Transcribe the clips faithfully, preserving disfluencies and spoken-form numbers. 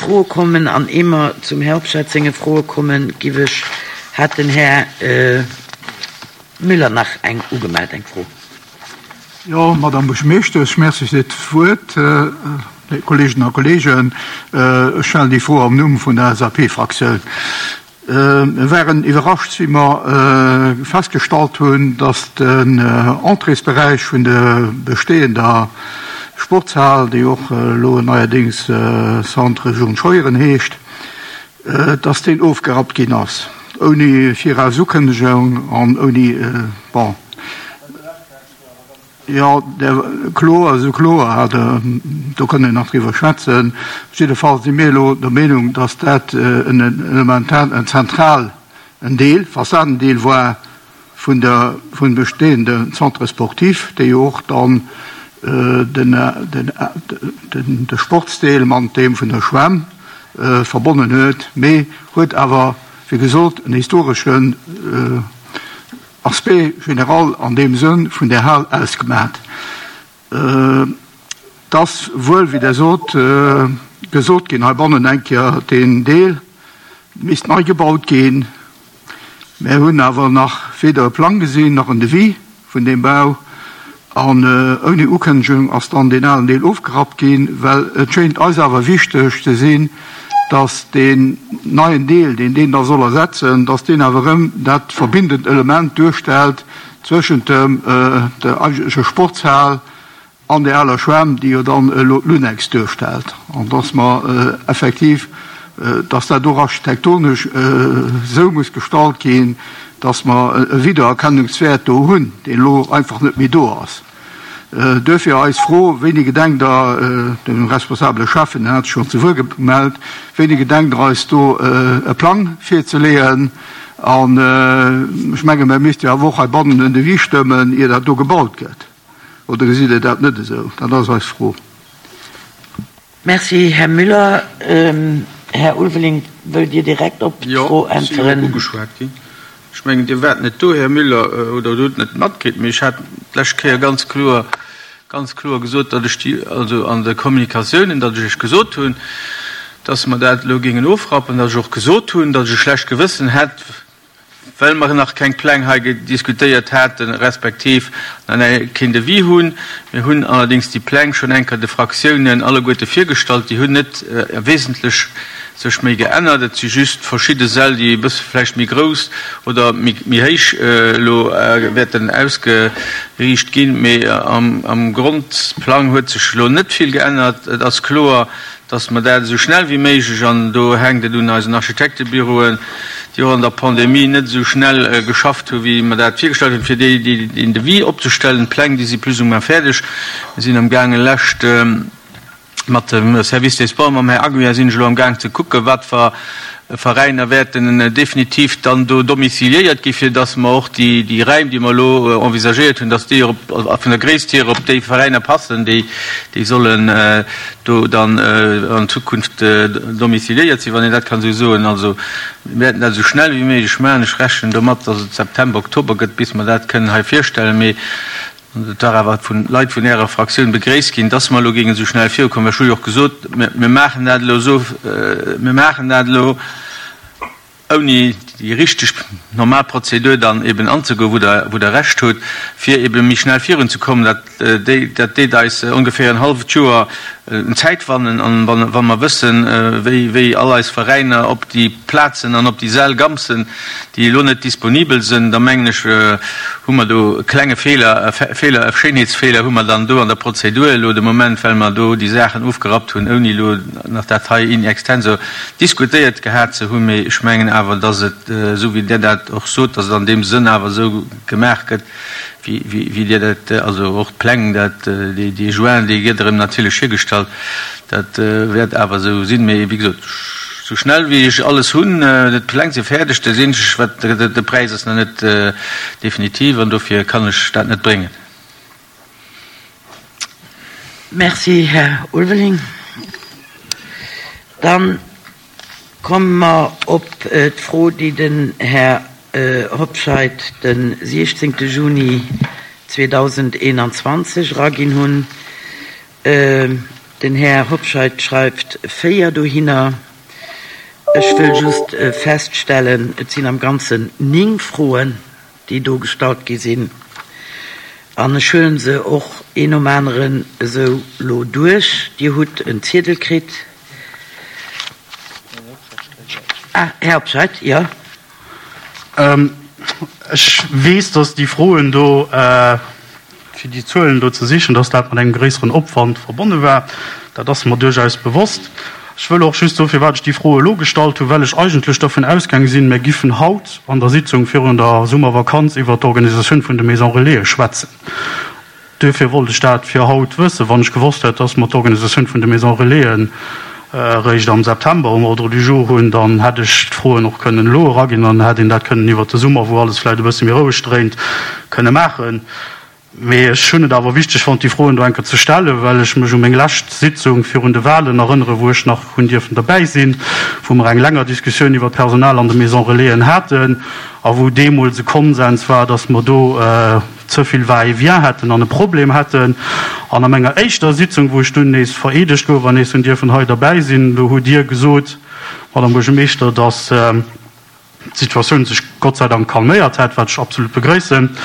Froe kommen an ier mer zum Här Hobscheit senge Froe kommen, giff ech, hat den Här Müller nach eng ugemellt, eng Fro. Jo, Madame Buergermeeschtesch, merci fir d'Wuert. Léif Kolleeginnen a Kolleegen, ech stellen déi Fro am Numm vun der L S A P-Fraktioun. Mir waren iwwerrascht, wéi mer festgestallt hunn, dass den Entréesberäich vun der bestehender Sportshal, déi och elo neierdéngs Centre Jean Scheuren heescht, dass deen ofgerappt ginn ass, ouni Virausukënnegung an ouni, bon, jo, kloer, esou kloer, do kënne nach driwwer schwätzen. Jiddefalls si mir elo der Meenung, dass dat en elementar, en zentral en Deel, Fassadendeel war vun der vun bestehende Centre sportif, déi jo och dann den den den de Sportsdeel mat deem vun der Schwämm verbonnen huet, mee huet awer, wéi gesot, en historeschen Aspect général an deem Sënn vun der Hal ausgemaat. Et ass wuel, wéi Der sot, gesot ginn heibannen eng Kéier, deen Deel misst nei gebaut ginn. Mir hunn awer nach weder e Plang gesinn nach en Devis vun deem Bau. An ouni Ukënnegung ass dann deen alen Deel ofgerappt ginn, well et schéint eis awer wichteg ze sinn, dass deen neien Deel, deen deen da soll ersetzen, dass deen awer erëm dat verbindend Element duerstellt zwëschent dem der eigentlecher Sportshal an der aler Schwämm, déi jo dann elo d'Lunex duerstellt, an dass mer effektiv, dass dat och architektonesch esou muss gestalt ginn, dass mer e Wiedererkennungswäert do hunn, deen elo einfach net méi do ass. Duerfir eis Fro: Wéini gedenkt Der, de responsabele Schäffen hat sech schonn zu Wuert gemellt, wéini gedenkt Der eis do e Plang virzeleeën? An ech menge mir misste jo awer och heibannen en Devis stëmmen, ier dat do gebaut gëtt. Oder gesitt Dir dat net esou? Dat ass eis Fro. Merci, Här Müller. Här Ulveling, wëllt Dir direkt op d'Fro äntweren? Jo, ech sinn ugeschwat ginn. Ech mengen, Dir waart net do, Här Müller, oder Dir hutt net matkritt, mee ech hat d'lescht Kéier ganz kloer, ganz kloer gesot, datt ech déi, also an de Kommunikatiounen, datt ech Iech gesot hunn, datt mer dat elo géingen ofrappen, datt ech och gesot hunn, datt ech e schlecht Gewëssen hätt, well mer nach keng Pläng hei diskutéiert haten, respektiv nach keen Devis hunn. Mir hunn allerdéngs déi Pläng schonn eng Kéier de Fraktiounen alleguerte virgestallt. Déi hunn net wesentlech sech méi geännert. Et si just verschidde Säll, déi e bësse vläicht méi grouss oder méi héich elo wäerten ausgeriicht ginn. Mee am Grondplang huet sech elo net vill geännert. Et ass kloer, dass mer dat esou schnell wéi méiglech, an do hänkt et un eisen Architektebüroen, déi och an der Pandemie net esou schnell geschafft hu wéi mer dat virgestallt hunn, fir déi deen Devis opzestellen. D'Pläng, déi si plus ou moins fäerdeg. Mir sinn amgaangen, lescht mat dem Service des Sports, mam Här Aguiar sinn ech elo amgaang ze kucken, wat fer Veräiner wäerten definitiv dann do domiciliéiert gi fir dass mer och déi déi Räim, déi mer elo envisagéiert hunn, dass déi och vun der Gréisst hier op déi Veräiner passen, déi déi sollen do dann an Zukunft domiciliéiert sinn, wann een dat kann esou soen. Also mir wäerten dat esou schnell wéi méiglech maachen. Ech rechnen domat, dass et September, Oktober gëtt, bis mer dat kënnen hei virstellen. Mee et war awer vu Leit vun Ärer Fraktioun begréisst ginn, dass mer elo géingen esou schnell virukommen. Ech hu jo och gesot, mir maachen dat elo esou, mir maachen dat elo, ouni déi richteg normal Prozedur dann eben anzegoen, wou Der, wou Der Recht hutt, fir ebe méi schnell virunzekommen. Dat, déi, dat deet eis ongeféier en halleft Joer Zäit wannen. An wann, wa mer wëssen, wéi, wéi all eis Veräiner op déi Plazen an op déi Säll gampsen, déi elo net disponibel sinn, da mengen ech, hu mer do e klenge Feeler, e Feeler, e Schéinheetsfeeler hu mer dann do an der Prozedur elo de Moment, well mer do déi Saachen ofgerappt hunn, ouni elo nach dat hei in extenso diskutéiert gehat ze hunn. Mee ech mengen awer, dass et, esou wéi Der dat och sot, dass et an deem Sënn awer esou gemaach gëtt, wéi Dir dat, also och d'Pläng, dat, déi Jointen, déi gëtt erëm natierlech hiergestallt, dat wäert awer esou sinn. Mee wéi gesot, esou schnell wéi ech alles hunn, d'Pläng si fäerdeg, dat eenzeg wat, de Präis ass nach net definitiv an dofir kann ech dat net bréngen. Merci, Här Ulveling. Dann komme mer op d'Fro, déi den Här Hobscheit de siechzéngte Juni zweedausendeenanzwanzeg eraginn hunn. Den Här Hobscheit schreift véier dohinner. Ech wëll just feststellen, et sinn am Ganzen néng Froen, déi do gestallt gi sinn. An ech huele se och een nom aneren esou elo duerch. Dir hutt en Ziedel kritt. Ah, Här Hobscheit, jo. Ech weess, dass déi Froen do, fir déi Zuelen do ze sichen, dass dat mat engem gréisseren Opwand verbonne war. Dat ass mer duerchaus bewosst. Ech wëll och just soen, firwat ech déi Fro elo gestallt hunn, well ech eigentlech dervun ausgaange sinn, mir giffen haut an der Sitzung virun der Summervakanz iwwert d'Organisatioun vun de Maisons Relaisen schwätzen. Duerfir wollt ech dat fir haut wëssen. Wann ech gewosst hätt, dass mer d'Organisatioun vun de Maisons Relaisen eréischt am September um Ordre du jour hunn, dann hätt ech d'Froen och kënnen elo eraginn an dann hätt een dat kënnen iwwert de Summer, wou alles vläicht e bësse méi roueg dréint, kënne maachen. Mee ech hunn et awer wichteg fonnt, déi Froen do eng Kéier ze stellen, well ech mech u meng lescht Sitzung virun de Wahlen erënneren, wou ech nach hunn dierfen derbäi sinn, wou mer eng länger Diskussioun iwwer d'Personal an de Maisons Relaisen haten a wou deemools e Konsens war, dass mer do ze vill Va-et-vient hätten an e Problem hätten. An a menger éischter Sitzung, wou ech dunn nees vereedegt gouf an nees hunn dierfen hei derbäi sinn, do hutt Dir gesot, Madame Buergermeeschter, dass d'Situatioun sech Gott sei Dank calméiert hätt, wat ech absolut begrëissen.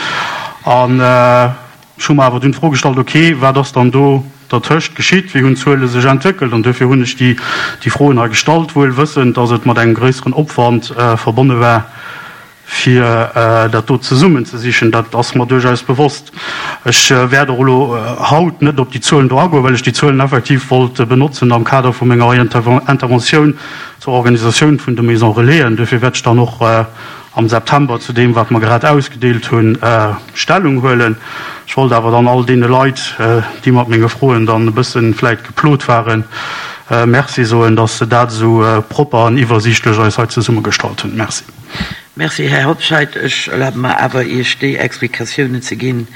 An ech hu mer awer dunn d'Fro gestallt, ok, wat ass dann do dertëscht geschitt, wéi hunn d'Zuele sech entwéckelt? An duerfir hunn ech déi déi Froen hei gestallt, wuel wëssend, datt et mat engem gréisseren Opwand verbonne war, fir dat do zesummenzesichen. Dat ass mer duerchaus bewosst. Ech wäert och elo haut net op déi Zuelen do agoen, well ech déi Zuelen effektiv wollt benotzen am Kader vu menger Interventioun zur Organisatioun vun de Maisons Relaisen. Duerfir wäert ech dann och am September zu deem, wat mer grad ausgedeelt hunn, Stellung huelen. Ech wollt awer dann all deene Leit, déi mat menge Froen dann e bësse vläit geplot waren, Merci soen, dass se dat esou propper an iwwersiichtlech eis hei zesummegestallt hunn. Merci. Merci, Här Hobscheit. Ech erlabe mer awer, Iech déi Explikatiounen ze ginn,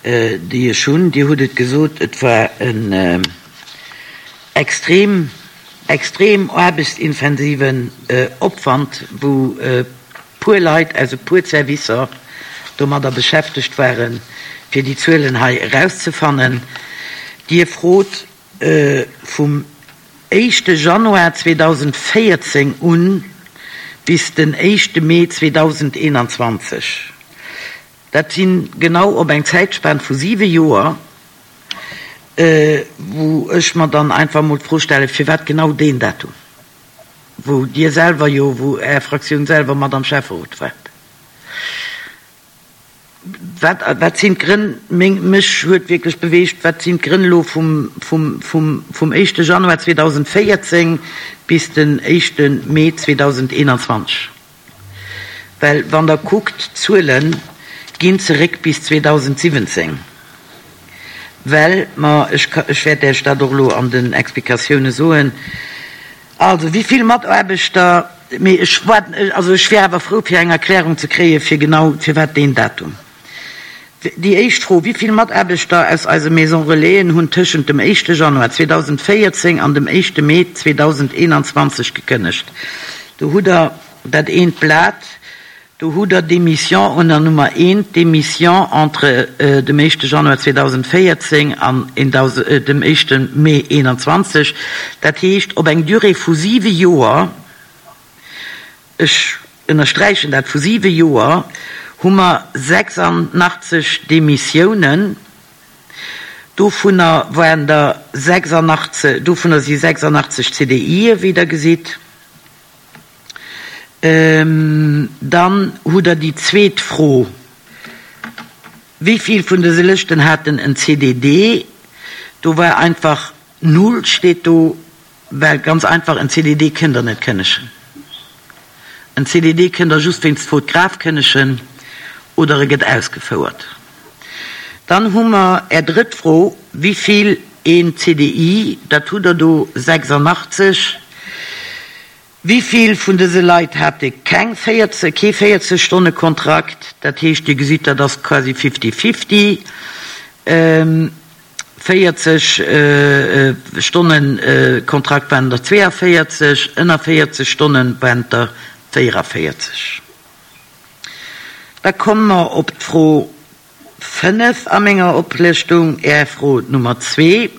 déi ech hunn. Dir hutt et gesot, et war en extrem, extrem aarbechtsintensiven Opwand, wou puer Leit aus e puer Servicer domadder beschäftegt waren, fir déi Zuelen hei erauszefannen. Dir frot vum éischte Januar zweedausendvéierzéng un bis den éischte Mee zweedausendeenanzwanzeg. Dat si genau op eng Zäitspan vu siwe Joer, wou ech mer dann einfach emol d'Fro stellen, firwat genau deen Datum, wou Dir selwer jo, wou Är Fraktioun selwer mat am Schäfferot waart. Wat, wat sinn d'Grënn? Meng, mech huet wierklech beweegt, wat sinn d'Grënn elo vum, vum, vum, vum éischte Januar zweedausendvéierzéng bis den éischte Mee zweedausendeenanzwanzeg? Well wann Der kuckt, d'Zuele ginn zeréck bis zweedausendsiwwenzéng, well mer, ech, ech wäert Iech dat och elo an den Explikatioune soen, Also, wéi vill Mataarbechter, mee ech waarden, also ech wier awer frou fir eng Erklärung ze kréie fir genau firwat deen Datum. Déi éischt Fro, Wéi vill Mataarbechter aus eise Maison Relaisen hunn tëschent dem éischte Januar zweedausendvéierzéng an dem éischte Mee zweedausendeenanzwanzeg gekënnegt? Do hutt Der dat eent Blat. Do hutt Der d'Démission ënner Nummer eent, d'Démission entre dem éischte Januar zweedausendvéierzéng an dem éischte Mee eenanzwanzeg, dat heescht op eng Durée vu siwe Joer, ech ënnersträichen dat, vu siwe Joer, hu mer sechsandachtzeg Démissiounen. Dovunner waren der sechsandachtzeg, dovunner si sechsandachtzeg C D I'e wéi Der gesitt. Dann hutt Der déi zweet Fro, Wéi vill vun dëse Lëschten haten en C D D? Do war einfach null, steet do, well ganz einfach, en C D D kënnt Der net kënnegen. En C D D kënnt Der just wéinst faute grave kënnegen oder e gëtt ausgefouert. Dann hu mer Är drëtt Fro, Wéi vill een C D I? Dat hutt Der do, sechsandachtzeg. Wéi vill vun dëse Leit hate keng véierzeg, kee véierzeg-Stonne-Kontrakt? Dat heescht, Dir gesitt, dat ass quasi fifty-fifty. Véierzeg-Stonne-Kontrakt waren der zweeënvéierzeg, ënner véierzeg Stonne waren der véierënvéierzeg. Da komme mer op d'Fro fënnef a menger Oplëschtung, Är Fro Nummer zwee.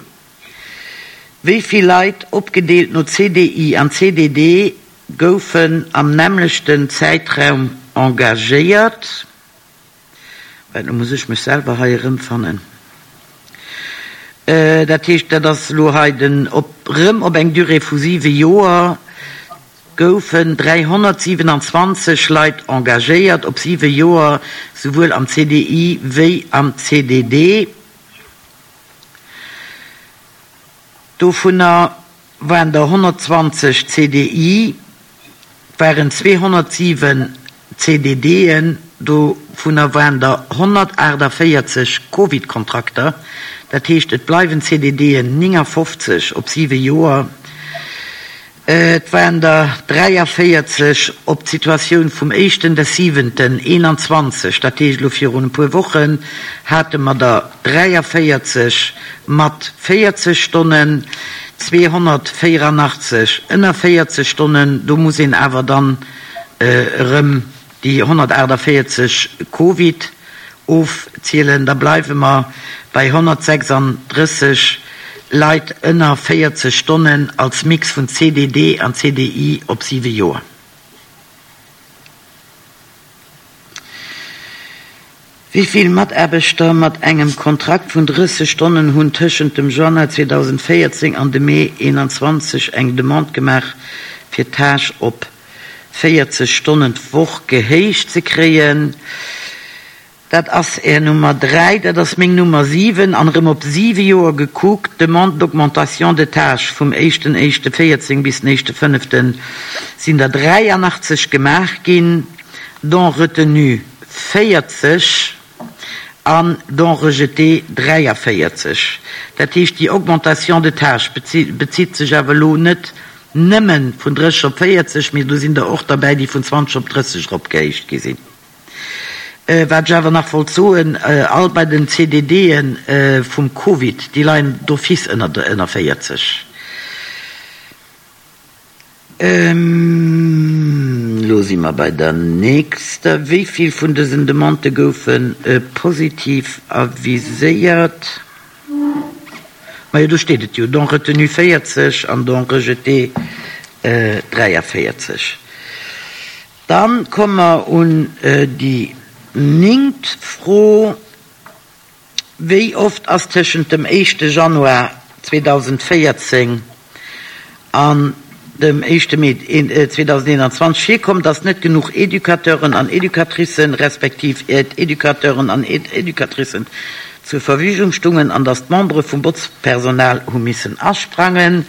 Wéi vill Leit, opgedeelt no C D I an C D D, goufen am nämmlechten Zäitraum engagéiert? Well lo muss ech mech selwer hei erëmfannen. Dat heescht, dat ass elo hei den op erëm op eng Durée vu siwe Joer goufen dräihonnertsiwenanzwanzeg Leit engagéiert op siwe Joer, souwuel am C D I wéi am C D D. Dovunner waren der honnertzwanzeg C D I, waren zweehonnertsiwen C D D'en, dovunner waren der honnertaachtavéierzeg Covid-Kontrakter. Dat heescht, et bleiwen C D D'en néngafofzeg op siwe Joer. Et waren der dräiavéierzeg op d'Situatioun vum éischten des siwenten eenanzwanzeg, dat heescht elo virun e puer Wochen, hate mer der dräiavéierzeg mat véierzeg Stonnen, zweehonnertvéieranachtzeg ënner véierzeg Stonnen, do muss een awer dann erëm déi honnertaachtavéierzeg Covid ofzielen, da bleiwe mer bei honnertsechsandrësseg Leit ënner véierzeg Stonnen als Mix vun C D D an C D I op siwe Joer. Wéi vill Mataarbechter mat engem Kontrakt vun drësseg Stonnen hunn tëschent dem Januar zweedausendvéierzéng an dem Mee eenanzwanzeg eng Demande gemaach, fir d'Tâche op véierzeg Stonnen d'Woch gehéicht ze kréien? Dat ass Är Nummer dräi, dat ass meng Nummer siwen. An erëm op siwe Joer gekuckt, d'Demande d'augmentation de tâche vum éischten éischte véierzéng bis den éischte fënneften sinn der dräianachtzeg gemaach ginn, dont retenu véierzeg an dont rejeté dräiavéierzeg. Dat heescht, déi Augmentation de tâche bezitt sech awer elo net nëmme vun drësseg op véierzeg, mee do sinn der och derbäi, déi vun zwanzeg op drësseg eropgehéicht gi sinn. Wat ech awer nach wollt soen, all bei den C D D'e vum Covid, déi leien d'office ënner ënner véierzeg. Elo si mer bei der nächster. Wéi vill vun dësen Demandë goufe positiv aviséiert? Majo, do steet et jo, dont retenu véierzeg an dont rejeté dräiavéierzeg. Dann komme mer un déi néngt Fro. Wéi oft ass tëschent dem éischte Januar zweedausendvéierzéng an dem éischte Mee zweedausendeenanzwanzeg virkomm, dass net genuch Educateuren an Educatricen respektiv Educateuren an Educatricen zur Verfügung stungen an dass d'Membere vum Botzpersonal hu missen asprangen?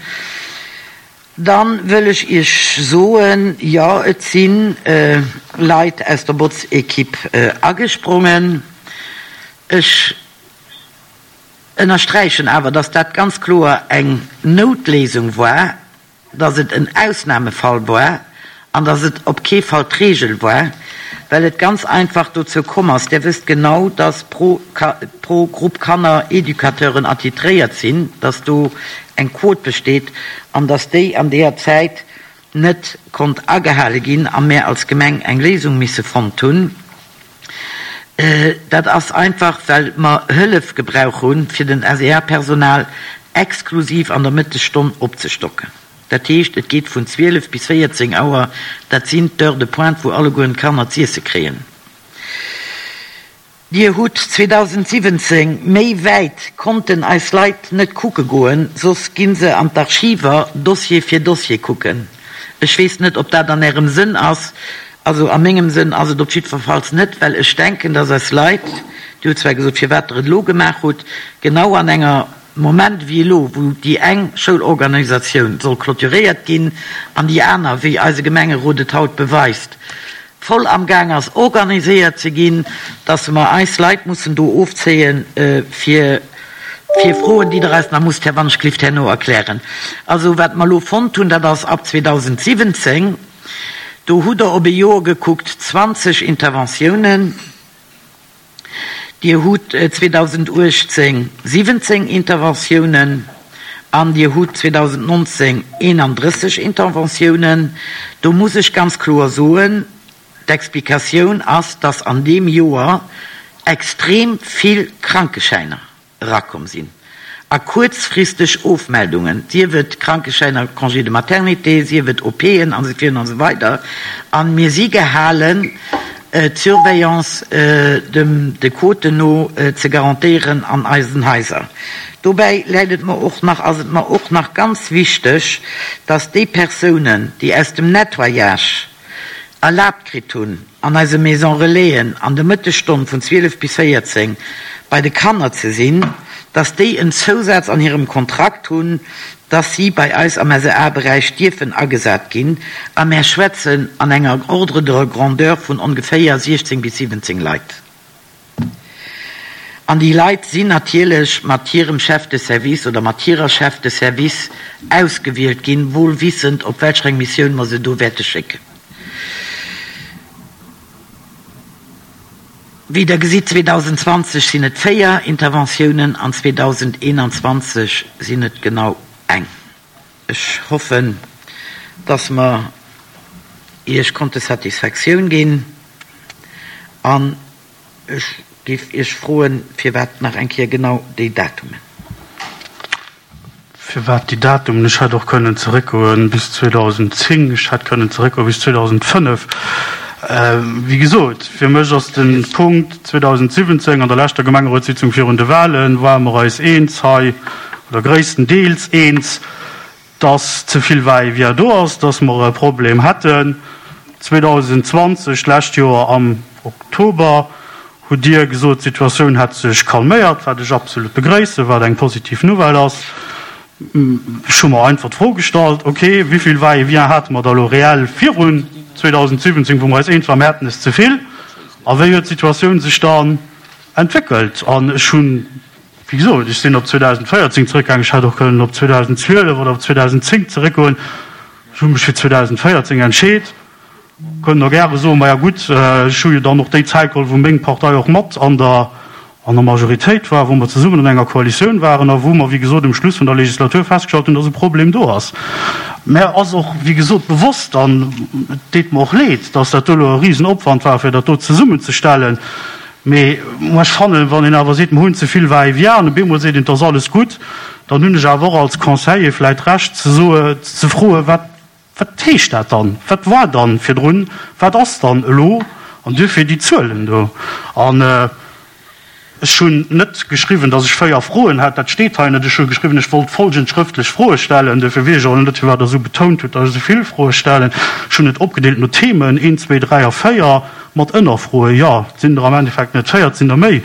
Dann wëll ech Iech soen, jo, et si Leit aus der Botzekipp agesprongen. Ech ënnersträichen awer, dass dat ganz kloer eng Noutléisung war, dass et en Ausnamefall war an dass et op kee Fall d'Reegel war, well et ganz einfach dozou komm ass, Dir wësst genau, dass pro pro Grupp Kanner Educateuren attitréiert sinn, dass do eng Quot besteet an dass déi an deeër Zäit net konnt agehale ginn a mär als Gemeng eng Léisung misse fonnt hunn. Dat ass einfach, well mer Hëllef gebrauch hunn, fir den S E A-Personal exklusiv an der Mëttesstonn opzestocken. Dat heescht, et geet vun zwielef bis véierzéng Auer, dat sinn d'Heures de pointe, wou allegueren d'Kanner z'iesse kréien. Dir hutt zweedausendsiwwenzéng, méi wäit konnten eis Leit net kucke goen, soss gi se an d'Archiver Dossier fir Dossier kucken. Ech weess net, ob dat an Ärem Sënn ass. Also a mengem Sënn ass et op jiddwerfalls net, well ech denken, dass eis Leit, Dir hutt zwar gesot, firwat Der et elo gemaach hutt, genau an enger Moment wéi elo, wou déi eng Schoulorganisatioun soll clôturéiert ginn an déi aner, wéi eise Gemengerot et haut beweist, voll am Gaang ass organiséiert ze ginn, dass mer eis Leit mussen do ofzéien fir fir Froen, déi Der eis nach musst, Här Wannschlift, herno erklären. Also wat mer elo fonnt hunn, dat ass ab zweedausendsiwwenzéng, do hutt Der op e Joer gekuckt zwanzeg Interventiounen, Dir hutt zweedausenduechtzéng siwwenzéng Interventiounen an Dir hutt zweedausendnonzéng eenandrësseg Interventiounen. Do muss ech ganz kloer soen, d'Explikatioun ass, dass an deem Joer extrem vill Krankeschäiner erakomm sinn. A kuerzfristeg Ofmeldungen, sief et Krankeschäiner, Congé de maternité, sief et OPen an esou virun an esou weider. A mir si gehalen, d'Surveillance dem de Quoten no ze garantéieren an eisen Haiser. Dobäi läit et mer och nach, ass et mer och nach ganz wichteg, dass déi Persounen, déi aus dem Nettoyage erlaabt kritt hunn, an eise Maison Relaisen an de Mëttesstonn vun zwielef bis véierzéng bei de Kanner ze sinn, dass déi en Zousaz an hirem Kontrakt hunn, dass si bei eis am S E A-Beräich dierfen agesat ginn, a mär schwätzen an enger Ordre de grandeur vun ongeféier siechzéng bis siwwenzéng Leit. An déi Leit sinn natierlech mat hirem Chef de service oder mat hirer Chef de service ausgewielt ginn, wohl wissend, op welch eng Missioun mer se do wäerte schécken. Wéi Der gesitt, zweedausendzwanzeg sinn et véier Interventiounen an zweedausendeenanzwanzeg sinn et genau eng. Ech hoffen, dass mer Iech konnte Satisfaktioun ginn an ech géif Iech froen, firwat nach eng Kéier genau déi Datumen? Firwat déi Datumen? Ech hätt och kënnen zeréckgoen bis zweedausendzéng, ech hätt kënnen zeréckgoe bis zweedausendfënnef. Wéi gesot, fir mech ass de Punkt zweedausensiwwenzéng, an der leschter Gemengerotssitzung virun de Wahlen, ware mer eis eens hei, oder gréisstendeels eens, dass ze vill Va-et-vient do ass, dass mer e Problem hätten. zweedausendzwanzeg, d'lescht Joer am Oktober, hutt Dir gesot, d'Situatioun hätt sech calméiert, wat ech absolut begréissen, wat eng positiv Nouvelle ass. Ech hu mer einfach d'Fro gestallt, ok, wéi vill Va-et-vient hate mer da elo reell virun zweedausensiwwenzéng, wou mer eis eens waren, mer hätten es ze vill, a wéi huet d'Situatioun sech dann entwéckelt? An ech hunn, wéi gesot, ech sinn op zweedausendvéierzéng zeréckgaangen, ech hätt och kënnen op zweedausendzwielef oder op zweedausendzéng zeréckgoen, ech hu mech fir zweedausendvéierzéng entscheet. Kënnen der gäre soen, maja gutt, ech hu jo dann och déi Zäit geholl, wou meng Partei och mat an der an der Majoritéit war, wou mer zesummen an enger Koalitioun waren a wou mer, wéi gesot, um Schluss vun der Legislatur festgestallt hunn, dass e Problem do ass. Mär ass och, wéi gesot, bewosst, an et deet mer och leed, dass dat do elo e Risenopwand war, fir dat do zesummenzestellen. Mee ech fannen, wann een awer seet, mer hunn ze vill Va-et-vient, an op eemol seet een, et ass alles gutt, dann hunn ech awer och als Conseiller vläicht d'Recht ze soe, ze froen, wat wat heescht dat dann, wat war dann virdrun, wat ass dann elo, an duerfir déi Zuelen do. An ech hunn net geschriwwen, datt ech véier Froen hätt, dat steet hei net. Ech hu geschriwwen, ech wollt folgend schrëftlech Froe stellen. Duerfir weess ech och net, firwat Der esou betount hutt, datt ech esou vill Froe stellen. Ech hunn et opgedeelt no Themen, een, zwee, dräi a véier, mat Ënnerfroen. Jo, et sinn der am Endeffekt net véier, et sinn der méi.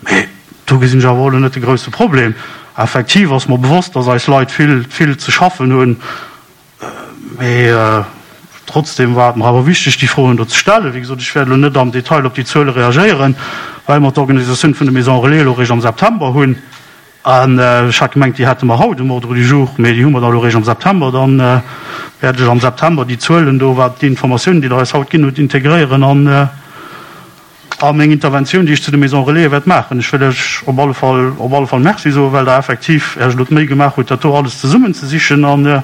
Mee do gesinn ech awer och elo net de grousse Problem. Effektiv ass mer bewosst, datt eis Leit vill, vill ze schaffen hunn. Mee trotzdem war et mer awer wichteg, déi Froen do ze stellen. Wéi gesot, ech wäert elo net am Detail op déi Zuele reagéieren, well mer d'Organisatioun vun de Maisons Relais elo eréischt am September hunn. An ech hat gemengt, déi hätte mer haut um Ordre du jour, mee déi hu mer da elo eréischt am September. Dann wäert ech am September déi Zuelen do, wat déi Informatiounen, déi Der eis haut ginn hutt, integréieren an a meng Interventioun, déi ech zu de Maisons Relais wäert maachen. Ech wëll Iech op alle Fall, op alle Fall Merci soen, well Der effektiv Iech elo d'Méi gemaach hutt, dat do alles zesummenzesichen an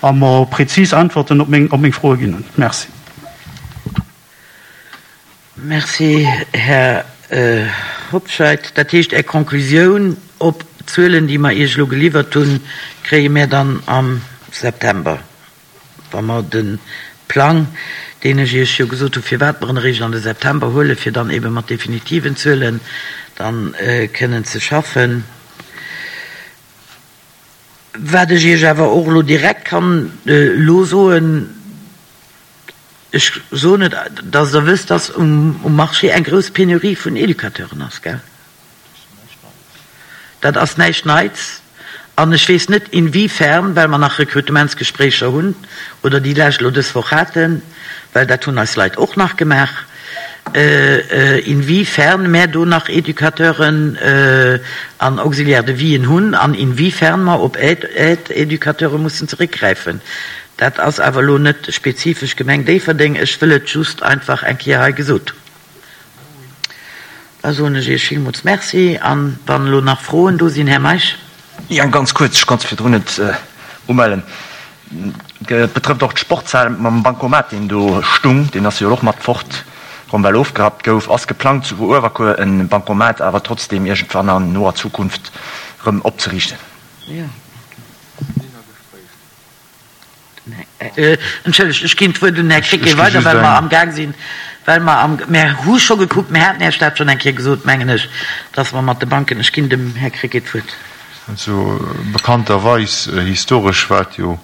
a mer prezis Äntwerten op meng, op meng Froe ginn hunn. Merci. Merci, Här Hobscheit. Dat heescht, Är Konklusioun op d'Zuelen, déi mer Iech elo geliwwert hunn, kréie mir dann am September, wa mer de Plang, deen ech Iech jo gesot hunn, firwat mer en eréischt an de September huelen, fir dann ebe mat definitiven Zuelen dann kënnen ze schaffen. Wat ech Iech awer och elo direkt kann elo soen, ech soen et, dass Der wësst, dass um Marché eng grouss Penurie vun Educateuren ass, gell? Dat ass näischt Neits. An ech weess net, inwiefern, well mer nach Rekrutementsgespréicher hunn oder déi lescht elo dës Woch haten, well dat hunn eis Leit och nach gemaach, inwiefern mär do nach Educateuren an Auxiliaires de vien hunn an inwiefern mer op Aide-Educateure mussen zeréckgräifen. Dat ass awer elo net spezifesch Gemeng Déifferdeng. Ech wëll et just einfach eng Kéier hei gesot hunn. Da soen ech Iech villmools Merci. An wann elo nach Froen do sinn, Här Meisch. Jo, ganz kuerz, ech konnt virdrun net umellen. Et betrëfft och d'Sportshal mam Bancomat, deen do stung. Deen ass jo och mat fort komm, well ofgerappt gouf. Ass geplangt, zu Uewerkuer e Bancomat awer trotzdeem iergendwann an noer Zukunft erëm opzeriichten. Entschëllegt, ech ginn d'Wuert un den Här Krecké weider, well mer amgaang sinn, well mer am, mer hu scho gekuckt, mer haten Iech dat schonn eng Kéier gesot, mengen ech, dass mer mat de Banken, ech ginn dem Här Krecké d'Wuert. Also bekannterweis, historesch war et jo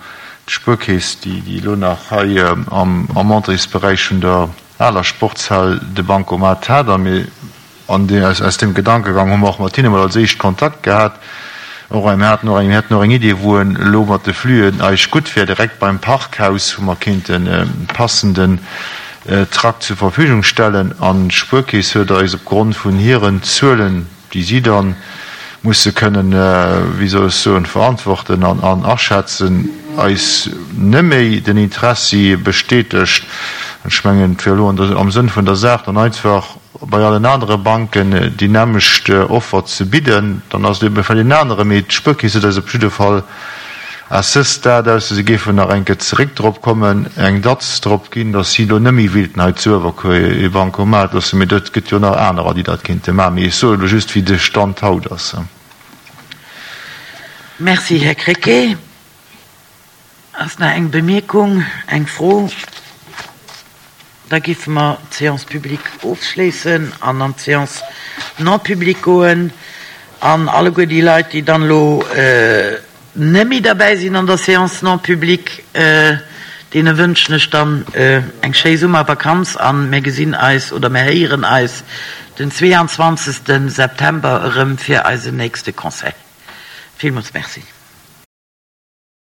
d'Spuerkeess, déi elo nach hei am Entréesberäich vun der aler Sportshal de Bancomat hat. A mir, an aus deem Gedankegang hu mer och mat hinne mol als éischt Kontakt gehat. Och mir haten och eng, mir hätten och eng Idee, wou en elo mat de Fluen eis gutt wär, direkt beim Parkhaus, wou mer kéinten e passenden Trakt zur Verfügung stellen. An d'Spuerkeess huet eis opgrond vun hiren Zuelen, déi si da musse kënnen, wéi soll ech soen, verantworten an aschätzen, eis neméi den Interessi bestätegt. An ech mengen, et wär elo am Sënn vun der Saach, dann einfach bei allen anere Banken déi nämmlecht Offer ze bidden. Dann ass et ebe vläicht en anere, mee d'Spuerkeess huet eis op jidde Fall à ce stade, ausser si géifen nach eng Kéier zeréck drop kommen, eng Datz drop ginn, datt si elo net méi wéilten hei zu Uewerkuer ee Bancomat loossen. Mee et gëtt jo nach anerer, déi dat kéinte maachen. Mee ech soe elo just, wéi de Stand haut ass. Merci, Här Krecké. Ass nach eng Bemierkung, eng Fro? Da géife mer d'Séance publique ofschléissen an an d'Séance non publique goen. An alleguer déi Leit, déi dann elo net méi derbäi sinn an der Séance non publique, deene wënschen ech dann eng schéi Summervakanz a mir gesinn eis oder mir héieren eis den zweeanzwanzegste September erëm fir eisen nächste Conseil. Villmools Merci.